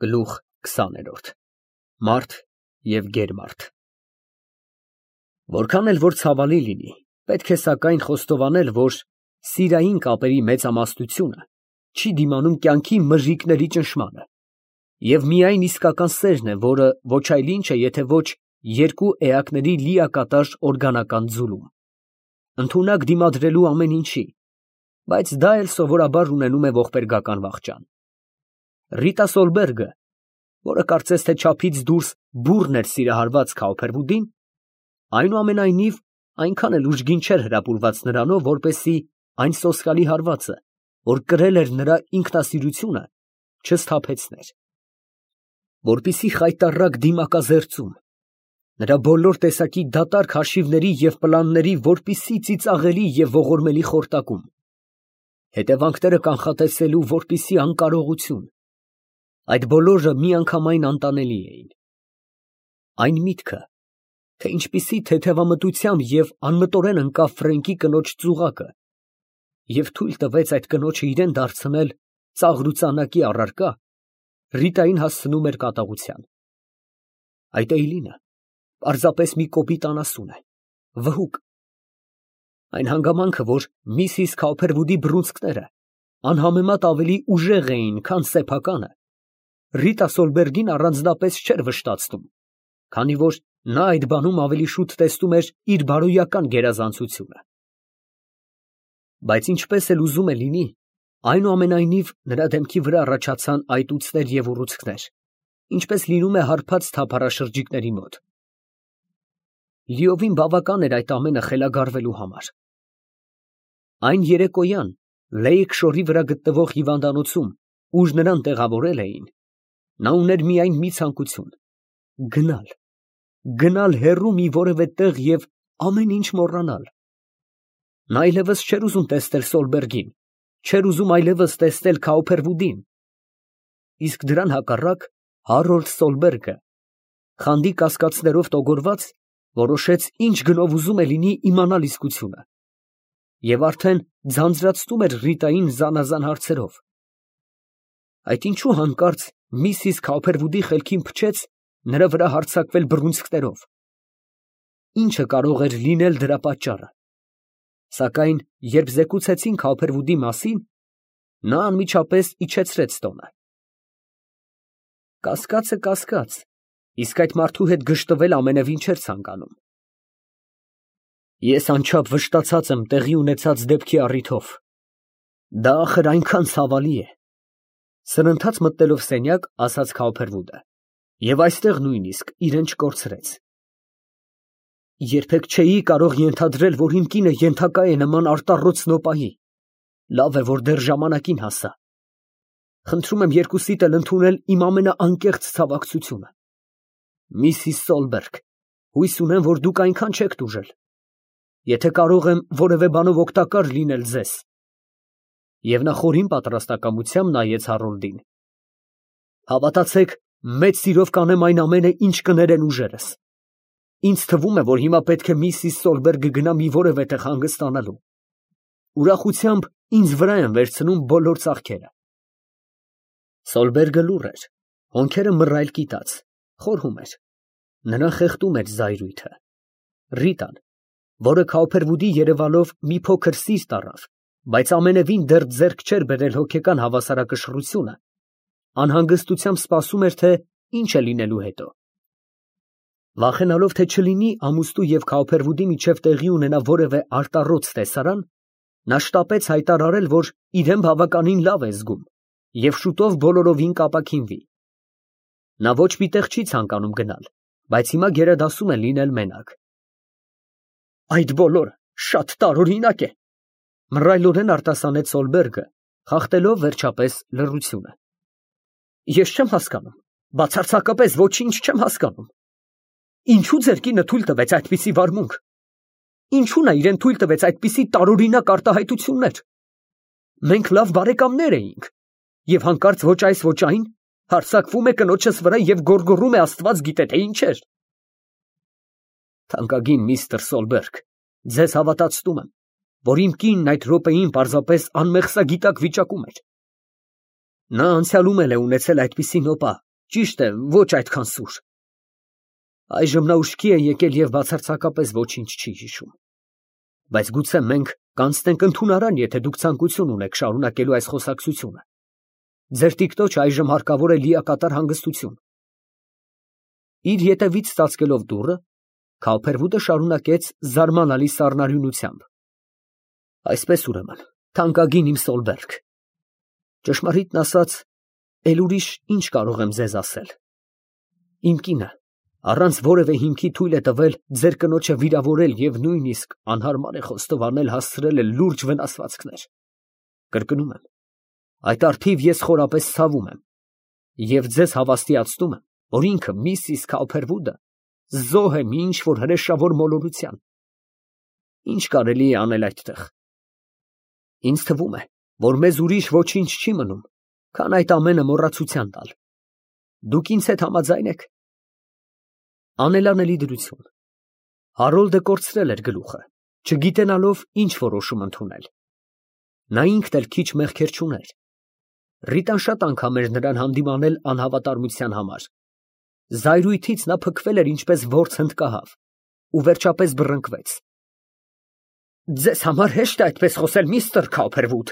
Գլուխ 20 Մարդ և գերմարդ Որքան էլ որ ցավալի լինի, պետք է սակայն խոստովանել, որ սիրային կապերի մեծամասնությունը չի դիմանում կյանքի մրրիկների ճնշմանը, և միայն իսկական սերն է, որը ոչ այլ ինչ է, եթե ոչ երկու էակների լիակատար օրգանական ձուլում, ընդունակ դիմադրելու ամեն ինչի, բայց դա էլ սովորաբար ունենում է ողբերգական վախճան։ Ռիտա Սոլբերգը, որը կարծես թե չափից դուրս բուռն էր սիրահարված Քաուփերվուդին, այնուամենայնիվ այնքան էլ ուժգին չէր հրապուրված նրանով, որպեսզի այն սոսկալի հարվածը, որ կրել էր նրա ինքնասիրությունը, չսթափեցներ, որպեսզի խայտառակ դիմակազերծում, նրա բոլոր տեսակի դատարկ հաշիվների և պլանների որպեսզի ծիծաղելի և ողորմելի խորտակում, հետևանքները կանխատեսելու որպեսզի անկարողություն, այդ բոլորը միանգամայն անտանելի էին։ Այն միտքը, թե ինչպիսի թեթևամտությամբ և անմտորեն ընկավ Ֆրենկի կնոջ ծուղակը և թույլ տվեց այդ կնոջը իրան դարձնել ծաղրուծանակի առարկա, Ռիտային հասցնում էր կատաղության։ Այդ Էյլինը պարզապես մի կոպիտ անասուն է, վհուկ։ Այն հանգամանքը, որ Միսիս Քաուփերվուդի բռունցքները անհամեմատ ավելի ուժեղ էին, քան սեփականը, Ռիտա Սոլբերգին առանձնապես չէր վշտացնում, քանի որ նա այդ բանում ավելի շուտ տեսնում էր իր բարոյական գերազանցությունը։ Բայց ինչպես էլ ուզում է լինի, այնուամենայնիվ նրա դեմքի վրա առաջացան այտուցներ և ուռուցքներ, ինչպես լինում է հարբած թափառաշրջիկների մոտ։ Լիովին բավական էր այդ ամենը խելագարվելու համար։ Այն երեկոյան Լեյք շորի վրա գտնվող հիվանդանոցում, ուր նրան տեղավորել էին, նա ուներ միայն մի ցանկություն՝ գնալ հեռու մի որևէ տեղ և ամեն ինչ մոռանալ։ Նա այլևս չէր ուզում տեսնել Սոլբերգին, չէր ուզում այլևս տեսնել Քաուփերվուդին։ Իսկ դրան հակառակ Հարոլդ Սոլբերգը, խանդի կասկածներով տոգորված, որոշեց ինչ գնով ուզում է լինի իմանալ իսկությունը, և արդեն ձանձրացնում էր Ռիտային զանազան հարցերով։ Այդ ինչու հանկարծ Միսիս Քաուփերվուդի խելքին փչեց նրա վրա հարձակվել բռունցքներով։ Ի՞նչը կարող էր լինել դրա պատճառը։ Սակայն երբ զեկուցեցին Քաուփերվուդի մասին, նա անմիջապես իջեցրեց տոնը։ Կասկածը կասկած, իսկ այդ մարդու հետ գժտվել ամենևին չէր ցանկանում։ Ես անչափ վշտացած եմ տեղի ունեցած դեպքի առիթով։ Դա ախր այնքան ցավալի է, սրընթաց մտնելով սենյակ, ասաց Քաուփերվուդը, և այստեղ նույնիսկ իրեն չկորցրեց։ Երբեք չէի կարող ենթադրել, որ իմ կինը ենթակա է նման արտառոց նոպայի։ Լավ է, որ դեռ ժամանակին հասա։ Խնդրում եմ երկուսիդ էլ ընդունել իմ ամենաանկեղծ ցավակցությունը։ Միսիս Սոլբերգ, հույս ունեմ, որ դուք այնքան չեք տուժել։ Եթե կարող եմ որևէ բանով օգտակար լինել ձեզ։ Եվ նա խորին պատրաստակամությամբ նայեց Հարոլդին։ Հավատացեք, մեծ սիրով կանեմ այն ամենը, ինչ կներեն ուժերս։ Ինձ թվում է, որ հիմա պետք է Միսիս Սոլբերգը գնա մի որևէ տեղ հանգստանալու։ Ուրախությամբ ինձ վրա են վերցնում բոլոր ծախքերը։ Սոլբերգը լուռ էր, հոնքերը մռայլ կիտած, խորհում էր։ Նրան խեղդում էր զայրույթը։ Ռիտան, որը Քաուփերվուդի երևալով մի փոքր սիրտ առավ, բայց ամենևին դեռ ձեռք չէր բերել հոգեկան հավասարակշռությունը, անհանգստությամբ սպասում էր, թե ինչ է լինելու հետո։ Վախենալով, թե չլինի ամուսնու և Քաուփերվուդի միջև տեղի ունենա որևէ արտառոց տեսարան, նա շտապեց հայտարարել, որ իրեն բավականին լավ է զգում և շուտով բոլորովին կապաքինվի։ Նա ոչ մի տեղ չի ցանկանում գնալ, բայց հիմա գերադասում է լինել մենակ։ Այդ բոլորը շատ տարօրինակ է, մռայլորեն արտասանեց Սոլբերգը, խախտելով վերջապես լռությունը։ Ես չեմ հասկանում, բացարձակապես ոչինչ չեմ հասկանում։ Ինչու ձեր կինը թույլ տվեց այդպիսի վարմունք։ Ինչու նա իրեն թույլ տվեց այդպիսի տարօրինակ արտահայտություններ։ Մենք լավ բարեկամներ էինք, և հանկարծ ոչ այս ոչ այն հարձակվում է կնոջս վրա և գոռգոռում է Աստված գիտե թե ինչեր։ Թանկագին միստր Սոլբերգ, ձեզ հավատացնում եմ, որ իմ կինն այդ րոպեին պարզապես անմեղսագիտակ վիճակում էր։ Նա անցյալում էլ է ունեցել այդպիսի նոպա, Ճիշտ է, ոչ այդքան սուր։ Այժմ նա ուշքի է եկել և բացարձակապես ոչինչ չի հիշում։ Բայց գուցե մենք կանցնենք ընդունարան, եթե դուք ցանկություն ունեք շարունակելու այս խոսակցությունը։ Ձեր տիկնոջ այժմ հարկավոր է լիակատար հանգստություն։ Իր ետևից ծածկելով դուռը, Քավփերվուդը շարունակեց զարմանալի սառնարյունությամբ. Այսպես ուրեմն, թանկագին իմ Սոլբերգ, ճշմարիտն ասած, էլ ուրիշ ինչ կարող եմ ձեզ ասել։ Իմ կինը առանց որևէ հիմքի թույլ է տվել ձեր կնոջը վիրավորել և նույնիսկ անհարմար է խոստովանել հասցրել է լուրջ վնասվածքներ։ Կրկնում եմ, այդ առթիվ ես խորապես ցավում եմ և ձեզ հավաստիացնում եմ, որ ինքը Միսիս Քավփերվուդը զոհ է մի ինչ֊որ հրեշավոր մոլորության։ Ինչ կարելի է անել այդտեղ։ Ինձ թվում է, որ մեզ ուրիշ ոչինչ չի մնում, քան այդ ամենը մոռացության տալ։ Դուք ինձ հետ համաձայն եք։ Անելանելի դրություն։ Հարոլդը կորցրել էր գլուխը, չգիտենալով ինչ որոշում ընդունել։ Նա ինքն էլ քիչ մեղքեր չուներ։ Ռիտան շատ անգամ էր նրան հանդիմանել անհավատարմության համար։ Զայրույթից նա փքվել էր ինչպես որց հնդկահավ ու վերջապես բռնկվեց։ Ձեզ համար հեշտ է այդպես խոսել, միստր Քավփերվուդ,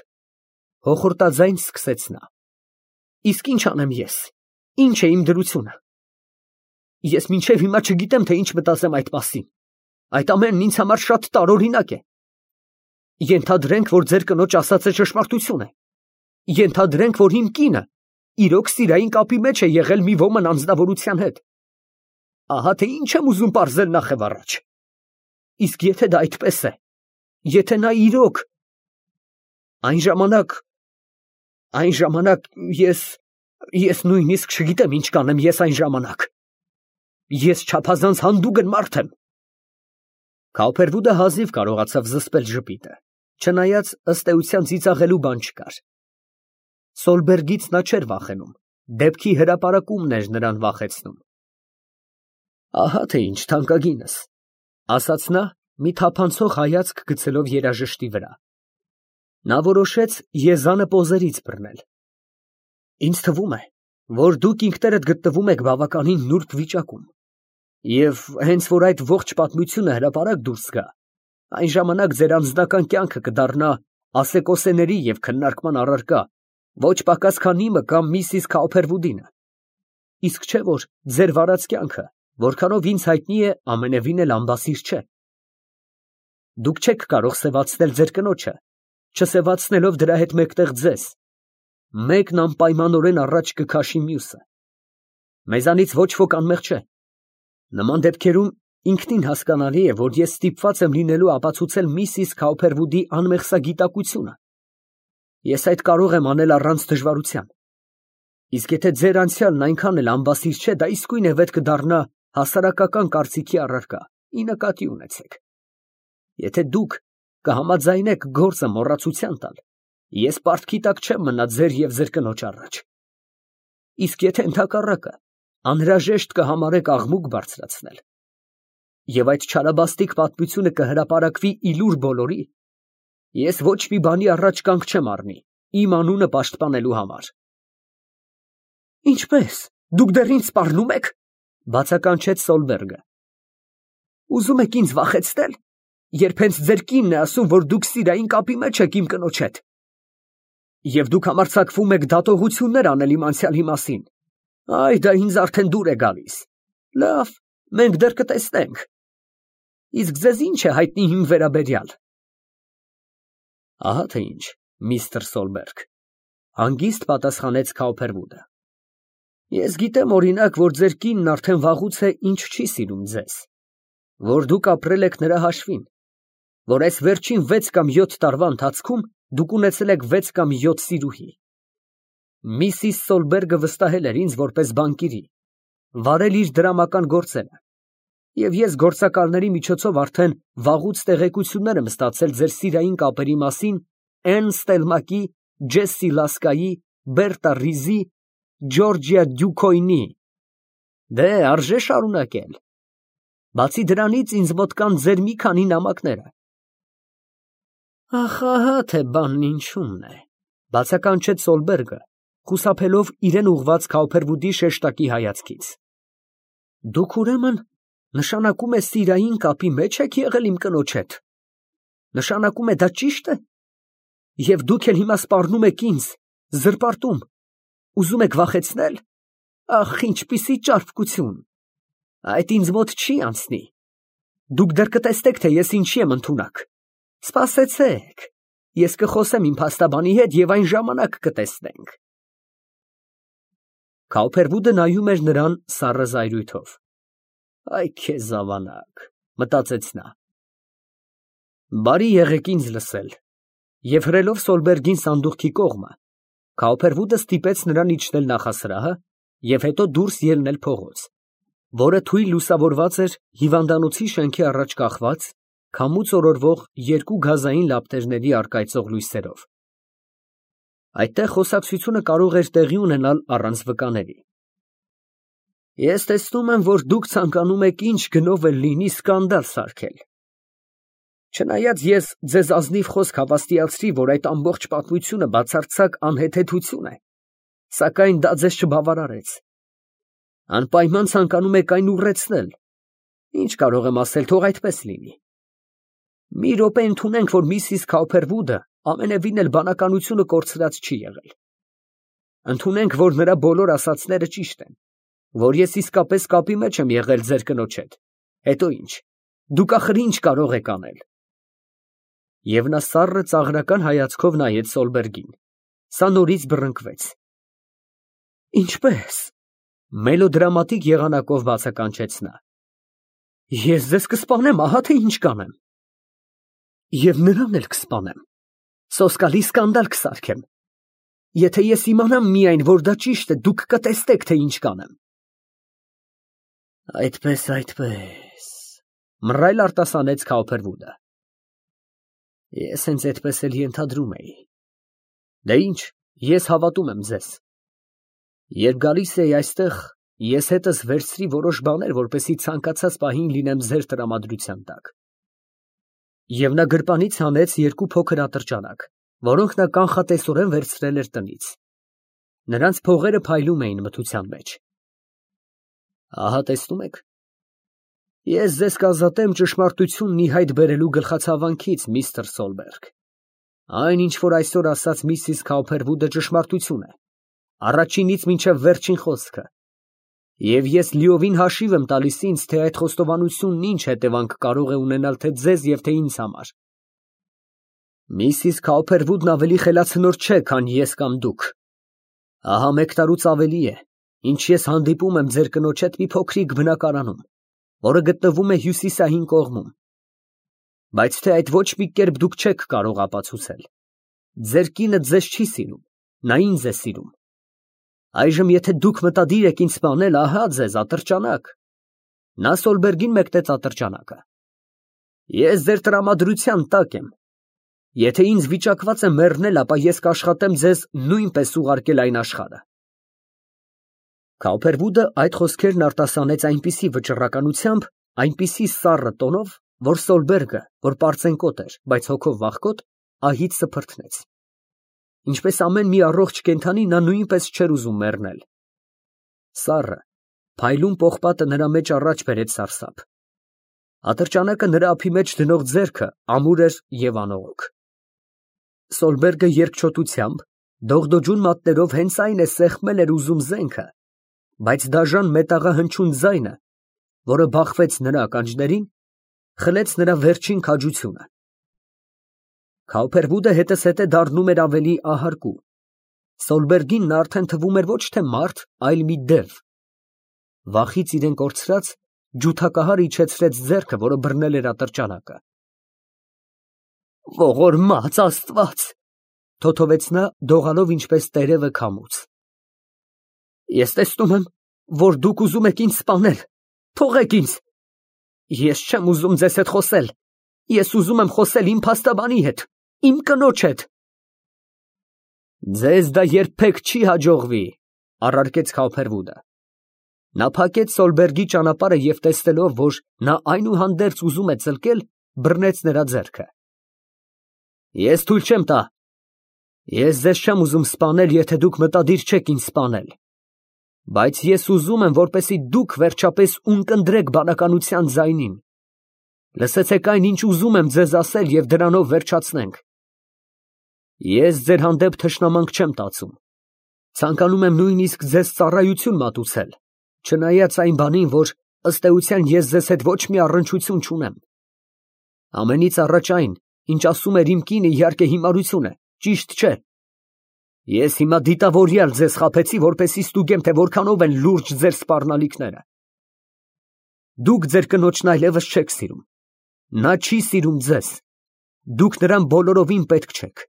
հոխորտաձայն սկսեց նա։ Իսկ ինչ անեմ ես։ Ինչ է իմ դրությունը։ Ես մինչև հիմա չգիտեմ, թե ինչ մտածեմ այդ մասին։ Այդ ամենն ինձ համար շատ տարօրինակ է։ Ենթադրենք, որ ձեր կնոջ ասածը ճշմարտություն է։ Ենթադրենք, որ իմ կինը իրոք սիրային կապի մեջ է եղել մի ոմն անձնավորության հետ։ Ահա թե ինչ եմ ուզում պարզել նախ եւ առաջ։ Իսկ եթե դա այդպես է, եթե նա իրոք… Այն ժամանակ ես նույնիսկ չգիտեմ ինչ կանեմ ես այն ժամանակ։ Ես չափազանց հանդուգն մարդ եմ։ Քավփերվուդը հազիվ կարողացավ զսպել ժպիտը, չնայած ըստ էության ծիծաղելու բան չկար։ Սոլբերգից նա չէր վախենում, դեպքի հրապարակումն էր նրան վախեցնում։ Ահա թե ինչ, թանկագինս, ասաց նա, մի թափանցող հայացք գցելով երաժշտի վրա։ Նա որոշեց եզանը պոզերից բռնել։ Ինձ թվում է, որ դուք ինքներդ գտնվում եք բավականին նուրբ վիճակում, և հենց որ այդ ողջ պատմությունը հրապարակ դուրս գա, այն ժամանակ ձեր անձնական կյանքը կդառնա ասեկոսեների և քննարկման առարկա ոչ պակաս քան իմը կամ Միսիս Քավփերվուդինը։ Իսկ չէ՞ որ ձեր վարած կյանքը, որքանով ինձ հայտնի է, ամենևին էլ անբասիր չէ։ Դուք չեք կարող սևացնել ձեր կնոջը, չսևացնելով դրա հետ մեկտեղ ձեզ։ Մեկն անպայմանորեն առաջ կքաշի մյուսը։ Մեզանից ոչ ոք անմեղ չէ։ Նման դեպքերում ինքնին հասկանալի է, որ ես ստիպված եմ լինելու ապացուցել Միսիս Քավփերվուդի անմեղսագիտակությունը։ Ես այդ կարող եմ անել առանց դժվարության։ Իսկ եթե ձեր անցյալն այնքան էլ անբասիր չէ, դա իսկույն է վետ կդառնա հասարակական կարծիքի առարկա, ի նկատի ունեցեք։ Եթե դուք կհամաձայնեք գործը մոռացության տալ, ես պարտքի տակ չեմ մնա ձեր և ձեր կնոջ առաջ։ Իսկ եթե ընդհակառակը, անհրաժեշտ կհամարեք աղմուկ բարձրացնել, և այդ չարաբաստիկ պատմությունը կհրապարակվի իլուր բոլորի, ես ոչ մի բանի առաջ կանգ չեմ առնի, իմ անունը պաշտպանելու համար։ Ինչպե՞ս, դուք դեռ ինձ սպառնում եք, բացականչեց Սոլբերգը։ Ուզում եք ինձ վախեցնել, երբ հենց ձեր կինն է ասում, որ դուք սիրային կապի մեջ եք իմ կնոջ հետ։ Եվ դուք համարձակվում եք դատողություններ անել իմ անցյալի մասին։ Այ դա ինձ արդեն դուր է գալիս։ Լավ, մենք դեռ կտեսնենք։ Իսկ ձեզ ինչ է հայտնի իմ վերաբերյալ։ Ահա թե ինչ, միստր Սոլբերգ, հանգիստ պատասխանեց Քավփերվուդը։ Ես գիտեմ, օրինակ, որ ձեր կինն արդեն վաղուց է ինչ չի սիրում ձեզ, որ դուք ապրել եք նրա հաշվին, որ այս վերջին 6 կամ 7 տարվա ընթացքում դուք ունեցել եք 6 կամ 7 սիրուհի։ Միսիս Սոլբերգը վստահել էր ինձ որպես բանկիրի, վարել իր դրամական գործերը, և ես գործակալների միջոցով արդեն վաղուց տեղեկություններ եմ ստացել ձեր սիրային կապերի մասին Էն Ստելմակի, Ջեսսի Լասկայի, Բերտա Ռիզի, Ջորջիա Դյուքոյնի։ Դե, արժե շարունակել։ Բացի դրանից ինձ մոտ կան ձեր մի քանի նամակները։ Ահ, ահա թե բանն ինչումն է, բացականչեց Սոլբերգը, խուսափելով իրեն ուղղված Քաուփերվուդի շեշտակի հայացքից։ Դուք ուրեմն նշանակում է սիրային կապի մեջ եք եղել իմ կնոջ հետ։ Նշանակում է դա ճի՞շտ է։ Եվ դուք էլ հիմա սպառնում եք ինձ, զրպարտում, ուզում եք վախեցնել։ Ախ, ինչպիսի ճարպկություն։ Այդ ինձ մոտ չի անցնի։ Դուք դեռ կտեսնեք, թե ես ինչի եմ ընդունակ։ Սպասեցեք, ես կխոսեմ իմ փաստաբանի հետ և այն ժամանակ կտեսնենք։ Քաուփերվուդը նայում էր նրան սառը զայրույթով։ Այ քեզ ավանակ, մտածեց նա։ Բարի եղեք ինձ լսել։ Եվ հրելով Սոլբերգին սանդուղքի կողմը, Քաուփերվուդը ստիպեց նրան իջնել նախասրահը և հետո դուրս ելնել փողոց, որը թույլ լուսավորված էր հիվանդանոցի շենքի առաջ կախված, քամուց օրորվող երկու գազային լապտերների առկայծող լույսերով։ Այդտեղ խոսակցությունը կարող էր տեղի ունենալ առանց վկաների։ Ես տեսնում եմ, որ դուք ցանկանում եք ինչ գնով էլ լինի սկանդալ սարքել։ Չնայած ես ձեզ ազնիվ խոսք հավաստիացրի, որ այդ ամբողջ պատմությունը բացարձակ անհեթեթություն է, սակայն դա ձեզ չբավարարեց։ Անպայման ցանկանում եք այն ուռեցնել։ Ինչ կարող եմ ասել, թող այդպես լինի։ Մի րոպե ընդունենք, որ միսիս Քաուփերվուդը ամենևին էլ բանականությունը կորցրած չի եղել։ Ընդունենք, որ նրա բոլոր ասածները ճիշտ են, որ ես իսկապես կապի մեջ եմ եղել ձեր կնոջ հետ։ Հետո ինչ։ Դուք ախր ինչ կարող եք անել։ Եվ նա սառը ծաղրական հայացքով նայեց Սոլբերգին։ Սա նորից բռնկվեց։ Ինչպե՞ս։ Մելոդրամատիկ եղանակով բացականչեց նա։ Ես ձեզ կսպանեմ, ահա թե ինչ կանեմ։ Եվ նրան էլ կսպանեմ։ Սոսկալի սկանդալ կսարքեմ։ Եթե ես իմանամ միայն, որ դա ճիշտ է, դուք կտեսնեք, թե ինչ կանեմ։ Այդպես, մռայլ արտասանեց Քաուփերվուդը։ Ես հենց այդպես էլ ենթադրում էի։ Դե ինչ, ես հավատում եմ ձեզ։ Երբ գալիս էի այստեղ, ես հետս վերցրի որոշ բաներ, որպեսզի ցանկացած պահին լինեմ ձեր տրամադրության տակ։ Եվ նա գրպանից հանեց երկու փոքր ատրճանակ, որոնք նա կանխատեսորեն վերցրել էր տնից։ Նրանց փողերը փայլում էին մթության մեջ։ Ահա տեսնում եք։ Ես ձեզ կազատեմ ճշմարտությունն ի հայտ բերելու գլխացավանքից, միստր Սոլբերգ։ Այն, ինչ որ այսօր ասաց միսիս Քաուփերվուդը ճշմարտություն է, առաջինից մինչև վերջին խոսքը։ Եվ ես լիովին հաշիվ եմ տալիս ինձ, թե այդ խոստովանությունն ինչ հետևանք կարող է ունենալ թե ձեզ և թե ինձ համար։ Միսիս Քաուփերվուդն ավելի խելացնոր չէ, քան ես կամ դուք։ Ահա 1 տարուց ավելի է, ինչ ես հանդիպում եմ ձեր կնոջ հետ մի փոքրիկ բնակարանում, որը գտնվում է հյուսիսային կողմում։ Բայց թե այդ ոչ մի կերպ դուք չեք կարող ապացուցել։ Ձեր կինը ձեզ չի սիրում, նա ինձ է սիրում։ Այժմ եթե դուք մտադիր եք ինձ սպանել, ահա ձեզ ատրճանակ։ Նա Սոլբերգին մեկնեց ատրճանակը։ Ես ձեր տրամադրության տակ եմ։ Եթե ինձ վիճակված է մեռնել, ապա ես կաշխատեմ ձեզ նույնպես ուղարկել այն աշխարհը։ Քաուփերվուդը այդ խոսքերն արտասանեց այնպիսի վճռականությամբ, այնպիսի սառը տոնով, որ Սոլբերգը, որ պարծենկոտ էր, բայց հոգով վախկոտ, ահից սփռթնեց։ Ինչպես ամեն մի առողջ կենդանի, նա նույնպես չէր ուզում մեռնել։ Սառը, փայլուն պողպատը նրա մեջ առաջ բերեց սարսափ։ Ատրճանակը նրա ափի մեջ դնող ձեռքը ամուր էր և անողոք։ Սոլբերգը երկչոտությամբ, դողդոջուն մատներով հենց այն է սեղմել էր ուզում զենքը, բայց դաժան մետաղահնչյուն ձայնը, որը բախվեց նրա ականջներին, խլեց նրա վերջին քաջությունը։ Քաուփերվուդը հետզհետե դառնում էր ավելի ահարկու։ Սոլբերգին նա արդեն թվում էր ոչ թե մարդ, այլ մի դև։ Վախից իրեն կորցրած, ջութակահար իջեցրեց ձեռքը, որը բռնել էր ատրճանակը։ Ողորմած Աստված, թոթովեց նա, դողալով ինչպես տերևը քամուց։ Ես տեսնում եմ, որ դուք ուզում եք ինձ սպանել։ Թողեք ինձ։ Ես չեմ ուզում ձեզ հետ խոսել։ Ես ուզում եմ խոսել իմ փաստաբանի հետ, իմ կնոջ հետ։ Ձեզ դա երբեք չի հաջողվի, առարկեց Քաուփերվուդը։ Նա փակեց Սոլբերգի ճանապարհը և տեսնելով, որ նա այնուհանդերձ ուզում է ծլկել, բռնեց նրա ձեռքը։ Ես թույլ չեմ տա։ Ես ձեզ չեմ ուզում սպանել, եթե դուք մտադիր չեք ինձ սպանել, բայց ես ուզում եմ, որպեսզի դուք վերջապես ունկնդրեք բանականության ձայնին։ Լսեցեք այն, ինչ ուզում եմ ձեզ ասել, և դրանով վերջացնենք։ Ես ձեր հանդեպ թշնամանք չեմ տածում, ցանկանում եմ նույնիսկ ձեզ ծառայություն մատուցել, չնայած այն բանին, որ ըստ էության ես ձեզ հետ ոչ մի առնչություն չունեմ։ Ամենից առաջ այն, ինչ ասում էր իմ կինը, իհարկե հիմարություն է, ճիշտ չէ։ Ես հիմա դիտավորյալ ձեզ խաբեցի, որպեսզի ստուգեմ, թե որքանով են լուրջ ձեր սպառնալիքները։ Դուք ձեր կնոջն այլևս չեք սիրում, նա չի սիրում ձեզ, դուք նրան բոլորովին պետք չեք։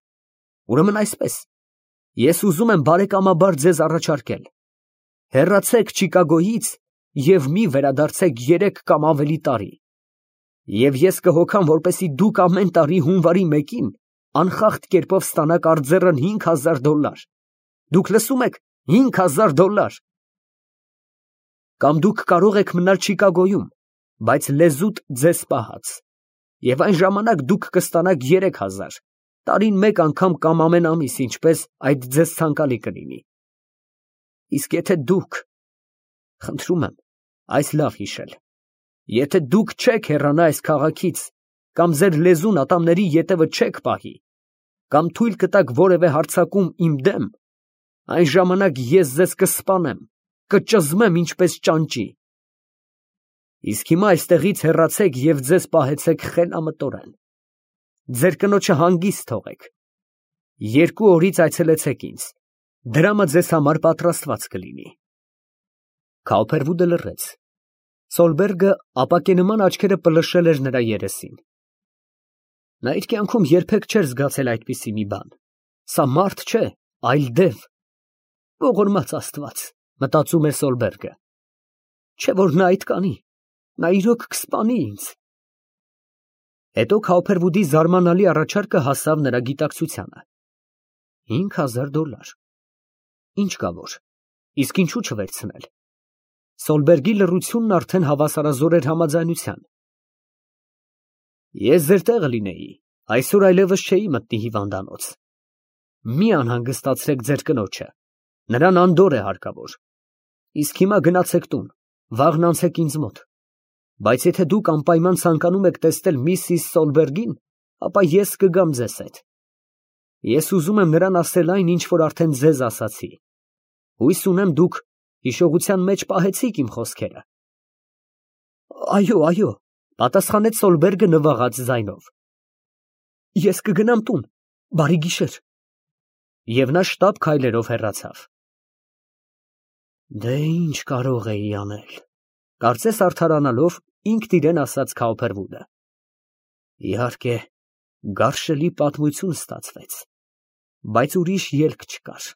Ուրեմն այսպես, ես ուզում եմ բարեկամաբար ձեզ առաջարկել. հեռացեք Չիկագոյից և մի վերադարձեք 3 կամ ավելի տարի, և ես կհոգամ, որպեսզի դուք ամեն տարի հունվարի 1-ին անխախտ կերպով ստանաք արձեռն $5,000։ Դուք լսում եք, $5,000։ Կամ դուք կարող եք մնալ Չիկագոյում, բայց լեզուտ ձեզ պահած, և այն ժամանակ դուք կստանաք 3,000, տարին մեկ անգամ կամ ամեն ամիս, ինչպես այդ ձեզ ցանկալի կլինի։ Իսկ եթե դուք, խնդրում եմ այս լավ հիշել, եթե դուք չեք հեռանա այս քաղաքից, կամ ձեր լեզուն ատամների ետևը չեք պահի, կամ թույլ կտաք որևէ հարձակում իմ դեմ, այն ժամանակ ես ձեզ կսպանեմ, կճզմեմ ինչպես ճանճի։ Իսկ հիմա այստեղից հեռացեք և ձեզ պահեցեք խելամտորեն։ Ձեր կնոջը հանգիստ թողեք։ 2 օրից այցելեցեք ինձ, դրամը ձեզ համար պատրաստված կլինի։ Քալփերվուդը լռեց։ Սոլբերգը ապակենման աչքերը պլշել էր նրա երեսին։ Նա իր կյանքում երբեք չէր զգացել այդպիսի մի բան։ Սա մարդ չէ, այլ դև։ Ողորմած Աստված, մտածում էր Սոլբերգը։ Չէ որ նա այդ կանի, նա իրոք կսպանի ինձ։ Հետո Քալփերվուդի զարմանալի առաջարկը հասավ նրա գիտակցությանը։ $5,000։ Ինչ կա որ, իսկ ինչու չվերցնել։ Սոլբերգի լռությունն արդեն հավասարազոր էր համաձայնության։ Ես ձեր տեղը լինեի, այսօր այլևս չէի մտնի հիվանդանոց։ Մի անհանգստացրեք ձեր կնոջը, նրան անդորր է հարկավոր։ Իսկ հիմա գնացեք տուն, վաղն անցեք ինձ մոտ։ Բայց եթե դուք անպայման ցանկանում եք տեսնել միսիս Սոլբերգին, ապա ես կգամ ձեզ հետ։ Ես ուզում եմ նրան ասել այն, ինչ որ արդեն ձեզ ասացի։ Հույս ունեմ դուք հիշողության մեջ պահեցիք իմ խոսքերը։ Այո, պատասխանեց Սոլբերգը նվաղած ձայնով։ Ես կգնամ տուն, բարի գիշեր։ Եվ նա շտապ քայլերով հեռացավ։ Դե ինչ կարող էի անել, կարծես արդարանալով ինքն իրեն ասաց Քալփերվուդը։ Իհարկե, գարշելի պատմություն ստացվեց, բայց ուրիշ ելք չկար։